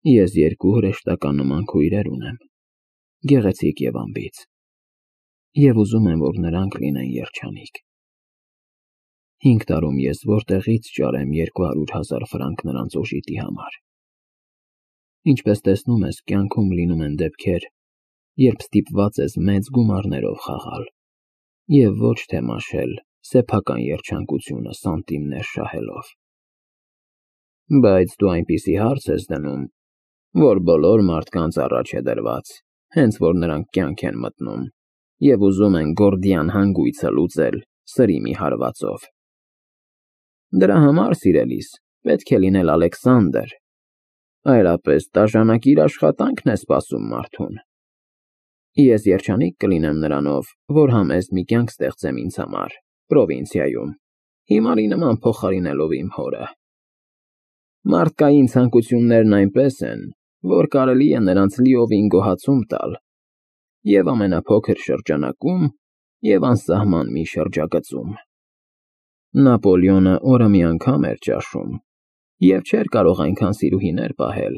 Ես երկու հրեշտական նման քույրեր ունեմ, գեղեցիկ և անբիծ, և ուզում եմ, որ նրանք լինեն երջանիկ։ 5 տարում ես որտեղից ճարեմ 200,000 ֆրանկ նրանց օժիտի համար։ Ինչպես տեսնում ես, կյանքում լինում են դեպքեր, երբ ստիպված ես մեծ գումարներով խաղալ, և ոչ թե մաշել սեփական երջանկությունը սանտիմներ շահելով։ Բայց դու այնպիսի հարց ես դնում, որ բոլոր մարդկանց առաջ է դրված, հենց որ նրանք կյանք են մտնում և ուզում են գորդիան հանգույցը լուծել սրի մի հարվածով։ Դրա համար, սիրելիս, պետք է լինել Ալեքսանդր, այլապես տաժանակիր աշխատանքն է սպասում մարդուն։ Ես երջանիկ կլինեմ նրանով, որ համեստ մի կյանք ստեղծեմ ինձ համար, պրովինցիայում, հիմարի նման փոխարինելով իմ հորը։ Մարդկային ցանկություններն այնպես են, որ կարելի է նրանց լիովին գոհացում տալ և ամենափոքր շրջանակում, և անսահման մի շրջագծում։ Նապոլեոնը օրը մի անգամ էր ճաշում և չէր կարող այնքան սիրուհիներ պահել,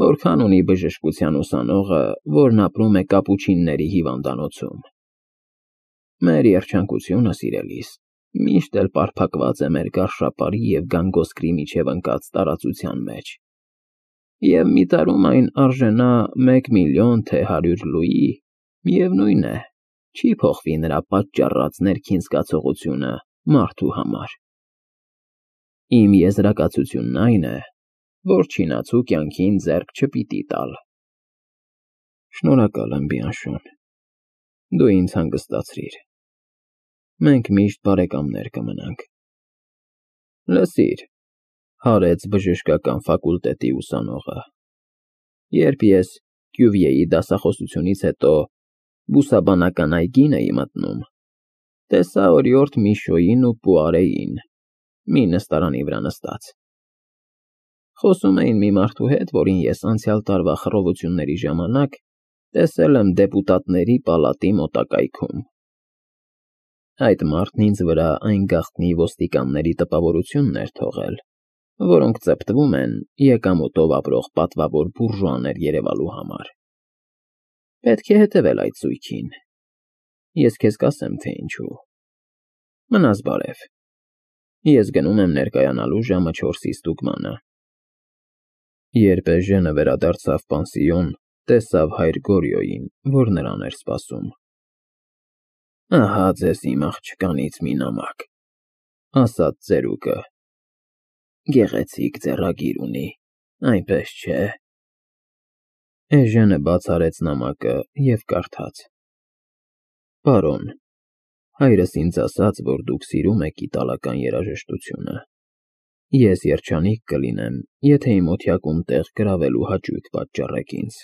որքան ունի բժշկության ուսանողը, որն ապրում է կապուչինների հիվանդանոցում։ Մեր երջանկությունը, սիրելիս, միշտ էլ պարփակված է մեր գարշապարի և գանգոսկրի միջև ընկած տարածության մեջ, և մի տարում այն արժենա 1 միլիոն, թե 100 լուի, միևնույն է, չի փոխվի նրա պատճառած ներքին զգացողությունը մարդու համար։ Իմ եզրակացությունն այն է, որ չինացու կյանքին ձեռք չպիտի տալ։ Շնորհակալ եմ, Բիանշոն, դու ինձ հանգստացրիր։ Մենք միշտ բարեկամներ կմնանք։ Լսիր, հարեց բժշկական ֆակուլտետի ուսանողը, երբ ես Կյուվիեի դասախոսությունից հետո բուսաբանական այգին էի մտնում, տեսա օրիորդ Միշոյին ու Պուարեին մի նստարանի վրա նստած։ Խոսում էին մի մարդու հետ, որին ես անցյալ տարվա խռովությունների ժամանակ տեսել եմ դեպուտատների պալատի մոտակայքում։ Այդ մարդն ինձ վրա այն գաղտնի ոստիկանների տպավորությունն էր թողել, որոնք ծպտվում են եկամուտով ապրող պատվավոր բուրժուաներ երևալու համար։ Պետք է հետևել այդ սույքին։ Ես քեզ կասեմ, թե ինչու։ Մնաս բարև։ Ես գնում եմ ներկայանալու ժամը 4-ի ստուգմանը։ Երբ Էժենը վերադարձավ պանսիոն, տեսավ հայր Գորյոյին, որ նրան էր սպասում։ Ահա ձեզ իմ աղջկանից մի նամակ, ասաց ծերուկը։ Գեղեցիկ ձեռագիր ունի, այնպես չէ։ Էժենը բաց արեց նամակը և կարդաց. Պարոն, հայրս ինձ ասաց, որ դուք սիրում եք իտալական երաժշտությունը։ Ես երջանիկ կլինեմ, եթե իմ օթյակում տեղ գրավելու հաճույք պատճառեք ինձ։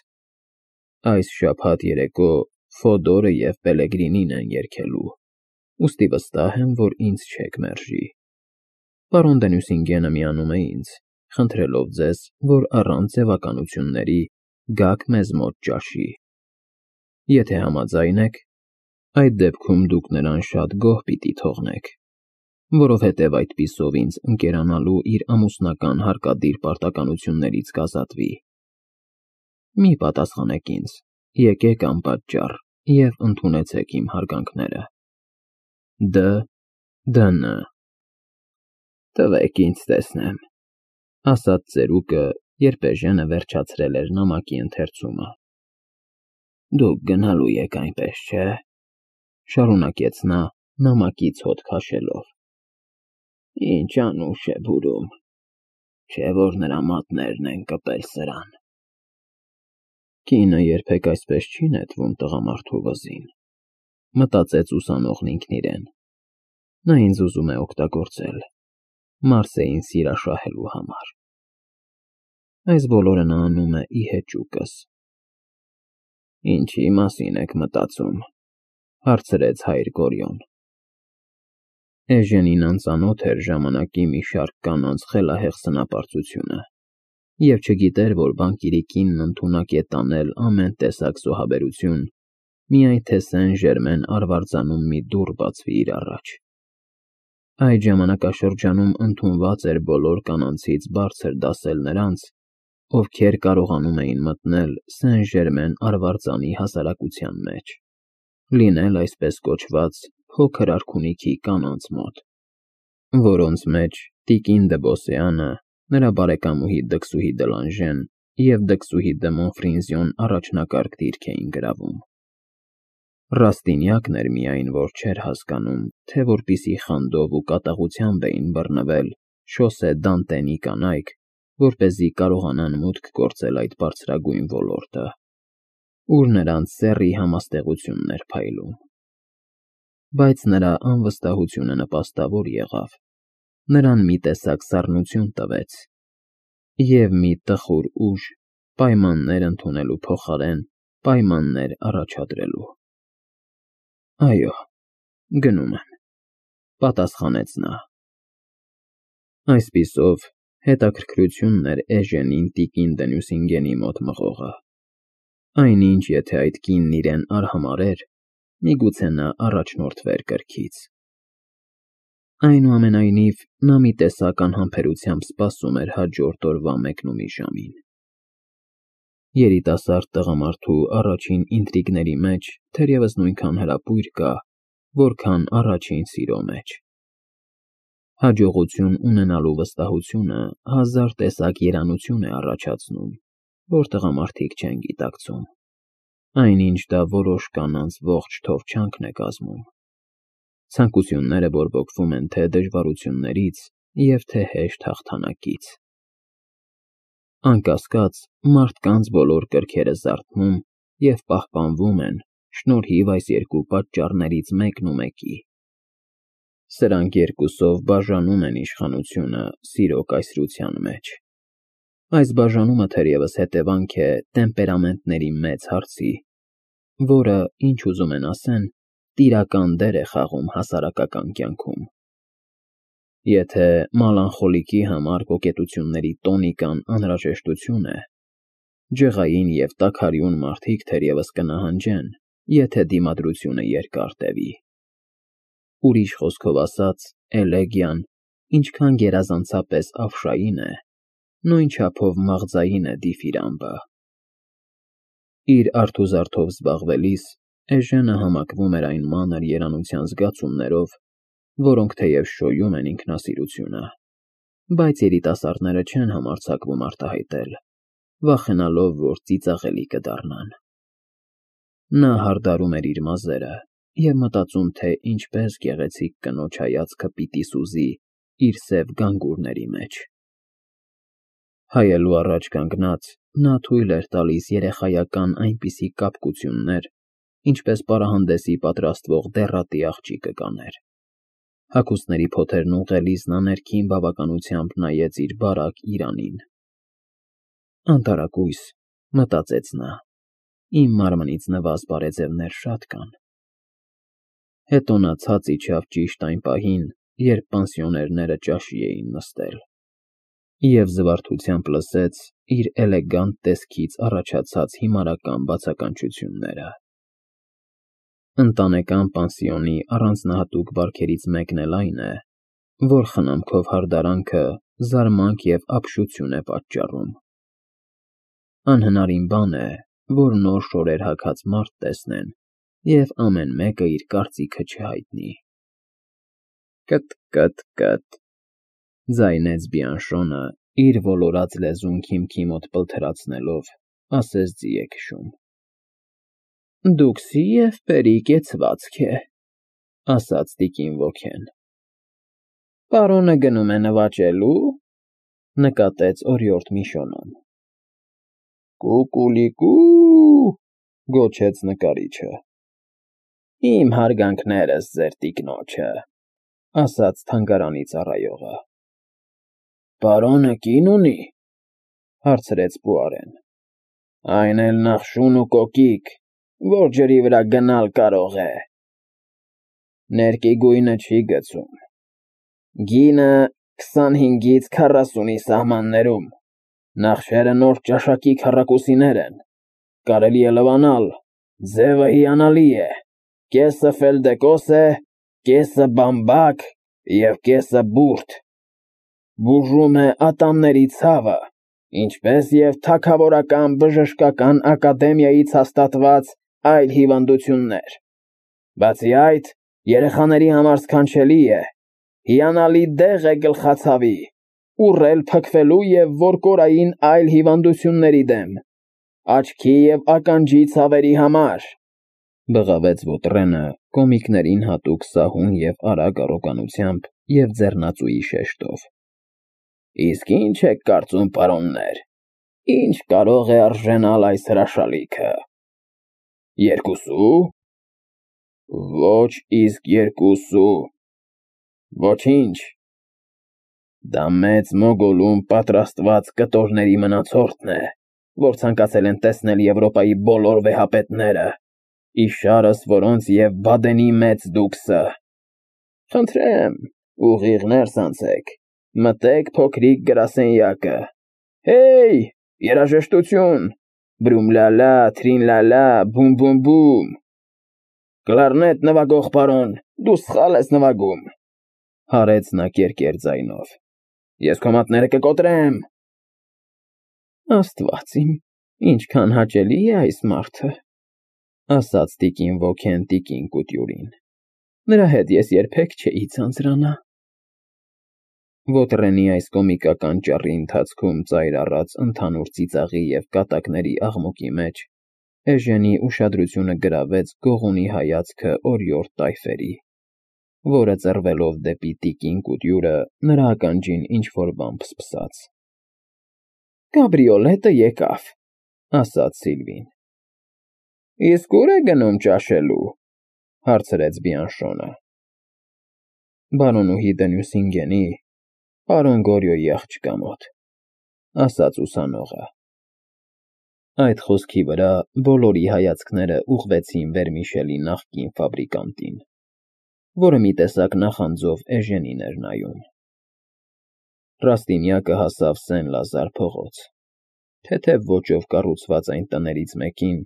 Այս շաբաթ երեկո Ֆոդորը և Պելեգրինին են երգելու, ուստի վստահ եմ, որ ինձ չեք մերժի։ Պարոն դե Նուսինգենը միանում է ինձ, խնդրելով ձեզ, որ առանց ձևականությունների գաք մեզ մոտ ճաշի։ Եթե համաձայն եք, այդ դեպքում դուք նրան շատ գոհ պիտի թողնեք, որովհետև այդպիսով ինձ ընկերանալու իր ամուսնական հարկադիր պարտականություններից կազատվի։ Մի պատասխանեք ինձ, եկեք անպատճառ և ընդունեցեք իմ հարգանքները։ Դ.Դ.Ն. Տվեք ինձ տեսնեմ, ասաց ծերուկը, երբ Էժենը վերջացրել էր նամակի ընթերցումը։ Դուք գնալու եք այնպես, չէ՞, շարունակեց նա նամակից հոտ քաշելով։ Ինչ անուշ է բուրում, չէ՞ որ նրա մատներն են կպել սրան։ Կինը երբեք այսպես չի նետվում տղամարդու վզին, մտածեց ուսանողն ինքն իրեն։ Նա ինձ ուզում է օգտագործել Մարսեին սիրաշահելու համար։ Այս բոլորը նա անում է ի հեճուկս։ Ինչի մասին եք մտածում, հարցրեց հայր Գորյոն։ Էժենին անծանոթ էր ժամանակի մի շարք կանանց խելահեղ սնապարծությունը, և չգիտեր, որ բանկիրի կինն ընդունակ է տանել ամեն տեսակ զոհաբերություն, միայն թե Սեն֊Ժերմեն արվարձանում մի դուռ բացվի իր առաջ։ Այդ ժամանակաշրջանում ընդունված էր բոլոր կանանցից բարձր դասել նրանց, ովքեր կարողանում էին մտնել Սեն-Ժերմեն արվարձանի հասարակության մեջ, լինել այսպես կոչված փոքր արքունիքի կանանց մոտ, որոնց մեջ տիկին դը Բոսեանը, նրա բարեկամուհի դքսուհի Դելանժեն և դքսուհի դը Մոնֆրինզյոն առաջնակարգ դիրք էին գրավում։ Ռաստինյակն էր միայն, որ չէր հասկանում, թե որպիսի խանդով ու կատաղությամբ էին բռնվել Շոսե Դանտենի կանայք, որպեսզի կարողանան մուտք գործել այդ բարձրագույն ոլորտը, ուր նրանց սեռի համաստեղությունն էր փայլում։ Բայց նրա անվստահությունը նպաստավոր եղավ, նրան մի տեսակ սառնություն տվեց և մի տխուր ուժ պայմաններ ընդունելու փոխարեն պայմաններ առաջադրելու։ Այո, գնում եմ, պատասխանեց նա։ Այսպիսով հետաքրքրությունն էր Էժենին տիկին դը Նյուսինգենի մոտ մղողը։ Այնինչ, եթե այդ կինն իրեն արհամարհեր, միգուցե նա առաջնորդվեր կրքից։ Այնուամենայնիվ, նա մի տեսակ անհամբերությամբ սպասում էր հաջորդ օրվա մեկնումի ժամին։ Երիտասարդ տղամարդու առաջին ինտրիգների մեջ թերևս նույնքան հրապույր կա, որքան առաջին սիրո մեջ։ Հաջողություն ունենալու վստահությունը հազար տեսակ երանություն է առաջացնում, որ տղամարդիկ չեն գիտակցում, այնինչ դա որոշ կանանց ողջ թովչանքն է կազմում։ Ցանկությունները բորբոքվում են թե դժվարություններից և թե հեշտ հաղթանակից։ Անկասկած, մարդկանց բոլոր կրքերը զարթնում և պահպանվում են շնորհիվ այս երկու պատճառներից մեկն ու մեկի։ Սրանք երկուսով բաժանում են իշխանությունը սիրո կայսրության մեջ։ Այս բաժանումը թերևս հետևանք է տեմպերամենտների մեծ հարցի, որը, ինչ ուզում են ասեն, տիրական դեր է խաղում հասարակական կյանքում։ Եթե մալանխոլիկի համար կոկետությունների տոնիկան անհրաժեշտություն է, ջղային և տաքարյուն մարդիկ թերևս կնահանջեն, եթե դիմադրությունը երկար տևի։ Ուրիշ խոսքով ասած, էլեգիան, ինչքան գերազանցապես ավշային է, նույն չափով մաղձային է դիֆիրամբը։ Իր արթուզարդով զբաղվելիս Էժենը համակվում էր այն մանր երանության զգացումներով, որոնք թեև շոյում են ինքնասիրությունը, բայց երիտասարդները չեն համարձակվում արտահայտել, վախենալով, որ ծիծաղելի կդառնան։ Նա հարդարում էր իր մազերը և մտածում, թե ինչպես գեղեցիկ կնոջ հայացքը պիտի սուզի իր սև գանգուրների մեջ։ Հայելու առաջ կանգնած՝ նա թույլ էր տալիս երեխայական այնպիսի կապկություններ, ինչպես պարահանդեսի պատրաստվող դեռատի աղջիկը կաներ։ Հագուստների փոթերն ուղղելիս նա ներքին բավականությամբ նայեց իր բարակ Իրանին։ Անտարակույս, մտածեց նա, իմ մարմնից նվազ բարեձևներ շատ կան։ Հետո նա ցած իջավ ճիշտ այն պահին, երբ պանսիոներները ճաշի էին նստել, և զվարթությամբ լսեց իր էլեգանտ տեսքից առաջացած հիմարական բացականչությունները։ Ընտանեկան պանսիոնի առանձնահատուկ բարքերից մեկն էլ այն է, որ խնամքով հարդարանքը զարմանք և ապշություն է պատճառում։ Անհնարին բան է, որ նոր շորեր հագած մարդ տեսնեն, և ամեն մեկը իր կարծիքը չհայտնի։ Կը՛տ,կը՛տ,կը՛տ, ձայնեց Բիանշոնը, իր ոլորած լեզուն քիմքի մոտ պլթրացնելով, ասես ձի է քշում։ Դուքսի և պերի կեցվածք է, ասաց տիկին ոգեն։ Պարոնը գնում է նվաճելու, նկատեց օրիորդ Միշոնան։ Կուկուլիկու, գոչեց նկարիչը։ Իմ հարգանքներս ձեր տիկնոջը, ասաց թանգարանի ծառայողը։ Պարոնը կին ունի, հարցրեց Պուարեն։ Այն էլ նախշուն ու կոկիկ, որ ջրի վրա գնալ կարող է։ Ներկի գույնը չի գցում։ Գինը 25-ից 40-ի սահմաններում, նախշերը նոր ճաշակի քառակուսիներ են, կարելի է լվանալ, ձևը հիանալի է, կեսը ֆելդեկոս է, կեսը բամբակ և կեսը բուրդ, բուժում է ատամների ցավը, ինչպես և թագավորական բժշկական ակադեմիայից հաստատված այլ հիվանդություններ։ Բացի այդ, երեխաների համար սքանչելի է, հիանալի դեղ է գլխացավի, ուռել փքվելու և որկորային այլ հիվանդությունների դեմ, աչքի և ականջի ցավերի համար, բղավեց Ոտրենը կոմիկներին հատուկ սահուն և արագ առոգանությամբ և ձեռնածուի շեշտով։ Իսկ ինչ եք կարծում, պարոններ, ինչ կարող է արժանալ այս հրաշալիքը։ Երկուսու՞։ Ոչ իսկ երկուսու։ Ոչինչ։ Դա մեծ մոգոլում պատրաստված կտորների մնացորդն է, որ ցանկացել են տեսնել Եվրոպայի բոլոր վեհապետները, իշարս որոնց և Բադենի մեծ դուքսը։ Խնդրեմ, ուղիղ ներս անցեք, մտեք փոքրիկ գրասենյակը։ Հեյ, երաժշտություն, բրում֊լա֊լա, թրին֊լա֊լա, բում֊բում֊բում։ Կլարնետ նվագող պարոն, դու սխալ ես նվագում, հարեց նա կերկեր ձայնով։ Ես քո մատները կկոտրեմ։ Աստված իմ, ինչքան հաճելի է այս մարդը, ասաց տիկին Ոքեն տիկին Կուտյուրին։ Նրա հետ ես երբեք չէի ձանձրանա։ Ոտրենի այս կոմիկական ճառի ընթացքում ծայր առած ընդհանուր ծիծաղի և կատակների աղմուկի մեջ Էժենի ուշադրությունը գրավեց Գողունի հայացքը օրիորդ տայֆերի, որը ծռվելով դեպի տիկին Կուտյուրը նրա ականջին ինչ-որ բան փսփսաց։ Կաբրիոլետը եկավ, ասաց Սիլվին։ Իսկ ուր է գնում ճաշելու, հարցրեց Բիանշոնը։ Բարոնուհի Դենյուսինգենի, պարոն Գորյոյի աղջկա մոտ, ասաց ուսանողը։ Այդ խոսքի վրա բոլորի հայացքները ուղղվեցին Վերմիշելի նախկին ֆաբրիկանտին, որը մի տեսակ նախանձով Էժենին էր նայում։ Ռաստինյակը հասավ Սեն֊Լազար փողոց, թեթև ոճով կառուցված այն տներից մեկին,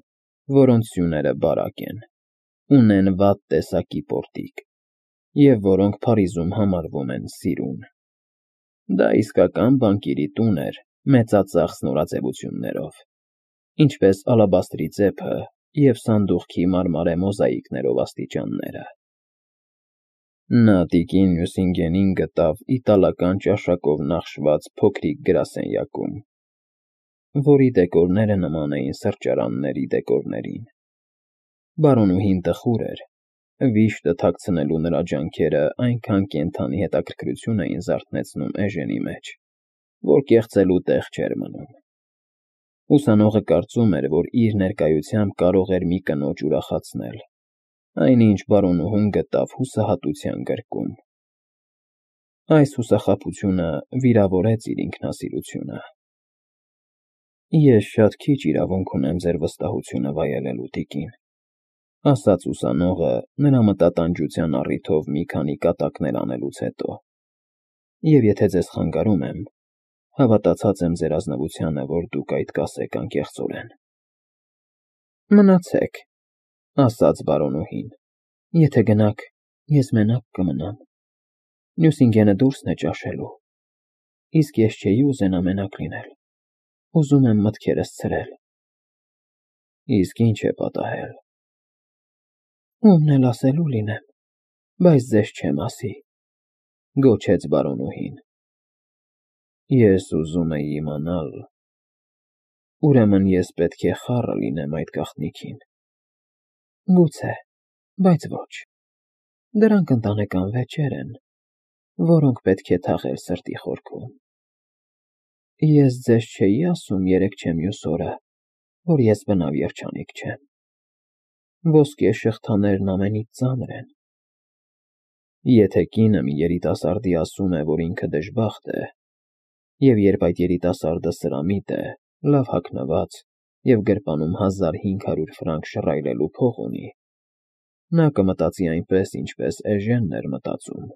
որոնց սյուները բարակ են, ունեն վատ տեսակի պորտիկ, և որոնք Փարիզում համարվում են սիրուն։ Դա իսկական բանկիրի տուն էր մեծածախս նորաձևություններով, ինչպես ալաբաստրի ծեփը և սանդուղքի մարմարե մոզաիկներով աստիճանները։ Նա տիկին Նյուսինգենին գտավ իտալական ճաշակով նախշված փոքրիկ գրասենյակում, որի դեկորները նման էին սրճարանների դեկորներին։ Բարոնուհին տխուր էր, վիշտը թաքցնելու նրա ջանքերը այնքան կենդանի հետաքրքրություն էին զարթեցնում Էժենի մեջ, որ կեղծելու տեղ չէր մնում։ Ուսանողը կարծում էր, որ իր ներկայությամբ կարող էր մի կնոջ ուրախացնել, այնինչ բարոնուհուն գտավ հուսահատության գրկում։ Այս հուսախաբությունը վիրավորեց իր ինքնասիրությունը։ Ես շատ քիչ իրավունք ունեմ ձեր վստահությունը վայելելու, տիկին, ասաց ուսանողը նրա մտատանջության առիթով մի քանի կատակներ անելուց հետո, և եթե ձեզ խանգարում եմ, հավատացած եմ ձեր ազնվությանը, որ դուք այդ կասեք անկեղծորեն։ Մնացեք, ասաց բարոնուհին, եթե գնաք, ես մենակ կմնամ։ Նյուսինգենը դուրսն է ճաշելու, իսկ ես չէի ուզենա մենակ լինել, ուզում եմ մտքերս ցրել։ Իսկ ինչ է պատահել։ Ումն էլ ասելու լինեմ, բայց ձեզ չեմ ասի, գոչեց բարոնուհին։ Ես ուզում էի իմանալ, ուրեմն ես պետք է խառը լինեմ այդ գաղտնիքին։ Գուցե, բայց ոչ։ Դրանք ընտանեկան վեճեր են, որոնք պետք է թաղել սրտի խորքում։ Ես ձեզ չէի ասում երեկ-չեմյուս օրը, որ ես բնավ երջանիկ չեմ։ Ոսկե շղթաներն ամենից ծանր են։ Եթե կինը մի երիտասարդի ասում է, որ ինքը դժբախտ է, և երբ այդ երիտասարդը սրամիտ է, լավ հագնված և գրպանում 1500 ֆրանկ շռայլելու փող ունի, նա կմտածի այնպես, ինչպես Էժենն էր մտածում։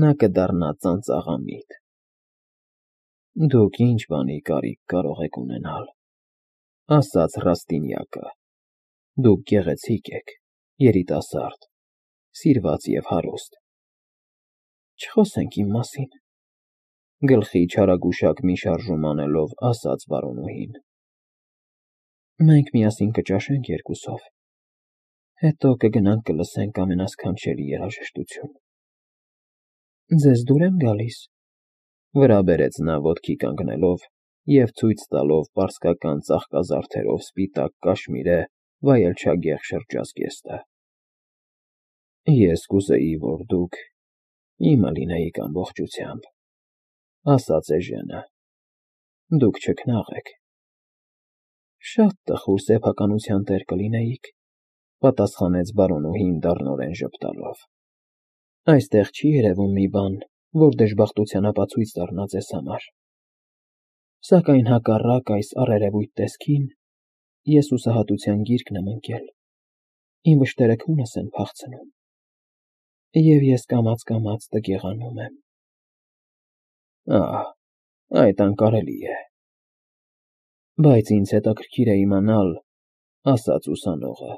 Նա կդառնա ծանծաղամիտ։ Դուք ինչ բանի կարիք կարող եք ունենալ, ասաց Ռաստինյակը։ Դուք գեղեցիկ եք, երիտասարդ, սիրված և հարուստ։ Չխոսենք իմ մասին։ Գլխի չարագուշակ մի շարժում անելով ասաց Վարոնուհին. Մենք միասին կճաշենք երկուսով, հետո կգնանք կլսենք ամենասքանչելի երաժշտություն։ Ձեզ դուր եմ գալիս, վրա բերեց նա ոտքի կանգնելով և ցույց տալով պարսկական ծաղկազարդերով սպիտակ կաշմիրե վայելչագեղ շրջազգեստը։ Ես կուզեի, որ դուք իմը լինեիք ամբողջությամբ, ասաց Էժենը, դուք չքնաղ եք։ Շատ տխուր սեփականության տեր կլինեիք, պատասխանեց Վարոնուհին դառնորեն ժպտալով։ Այստեղ չի երևում մի բան, որ դժբախտության ապացույց դառնա ձեզ համար։ Սակայն հակառակ այս առերևույթ տեսքին, ես հուսահատության գիրկն եմ ընկել, իմ վշտերը քունս են փախցնում, և ես կամաց տգեղանում եմ։ Ահ, այդ անկարելի է։ Բայց ինձ հետաքրքիր է իմանալ, ասաց ուսանողը,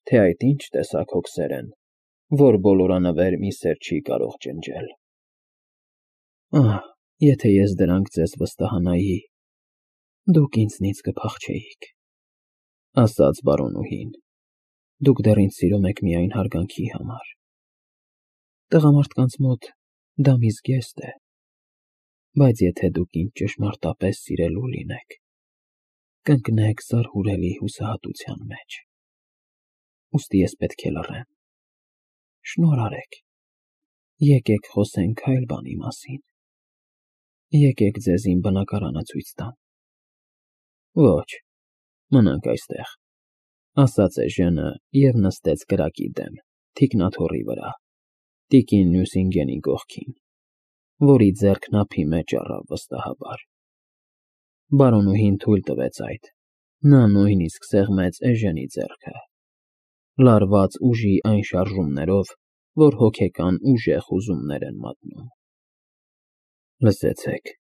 թե այդ ինչ տեսակ հոգսեր են, որ բոլորանվեր մի սեր չի կարող ջնջել։ Ահ, եթե ես դրանք ձեզ վստահանայի, դուք ինձնից կփախչեիք, ասաց Վարոնուհին, դուք դեռ ինձ սիրում եք միայն հարգանքի համար։ Տղամարդկանց մոտ դա մի զգեստ է, բայց եթե դուք ինձ ճշմարտապես սիրելու լինեք, կընկնեք զարհուրելի հուսահատության մեջ։ Ուստի ես պետք է լռեմ։ Շնորհ արեք, եկեք խոսենք այլ բանի մասին։ Եկեք ձեզ իմ բնակարանը ցույց տամ։ Ոչ, մնանք այստեղ, ասաց Էժենը և նստեց կրակի դեմ, թիկնաթոռի վրա, տիկին Նյուսինգենի կողքին, որի ձեռքն ափի մեջ առավ վստահաբար։ Բարոնուհին թույլ տվեց այդ, նա նույնիսկ սեղմեց Էժենի ձեռքը, լարված ուժի այն շարժումներով, որ հոգեկան ուժեղ հուզումներ են մատնում։ Լսեցեք,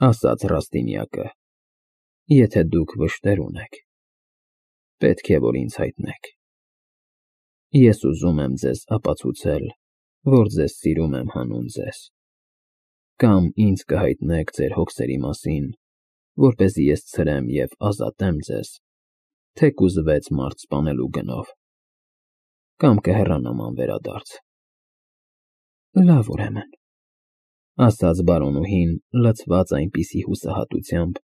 ասաց Ռաստինյակը, եթե դուք վշտեր ունեք, պետք է որ ինձ հայտնեք։ Ես ուզում եմ ձեզ ապացուցել, որ ձեզ սիրում եմ հանուն ձեզ, կամ ինձ կհայտնեք ձեր հոգսերի մասին, որպեսզի ես ցրեմ և ազատեմ ձեզ, թեկուզ 6 մարդ սպանելու գնով, կամ կհեռանամ անվերադարձ։ Լավ, ուրեմն, ասաց Բարոնուհին, լցված այնպիսի հուսահատությամբ,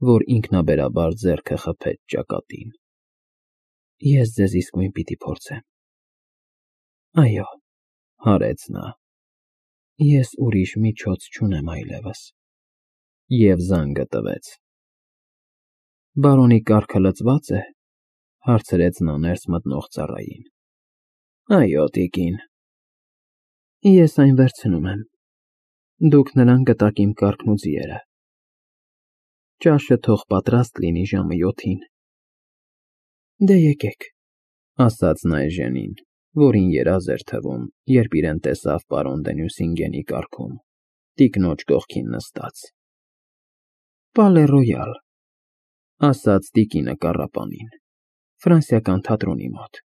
որ ինքնաբերաբար ձեռքը խփեց ճակատին։ Ես ձեզ իսկույն պիտի փորձեմ։ Այո, հարեց նա, ես ուրիշ միջոց չունեմ այլևս։ Եվ զանգը տվեց։ Բարոնի կառքը լծվա՞ծ է, հարցրեց նա ներս մտնող ծառային։ Այո, տիկին։ Ես այն վերցնում եմ։ Դուք նրան կտաք իմ կառքն ու ձիերը։ Ճաշը թող պատրաստ լինի ժամը 7-ին։ Դե եկեք, ասաց նա Էժենին, որին երազ էր թվում, երբ իրեն տեսավ պարոն դե Նյուսինգենի կառքում, տիկնոջ կողքին նստած։ Պալե Ռոյալ, ասաց տիկինը կառապանին, ֆրանսիական թատրոնի մոտ։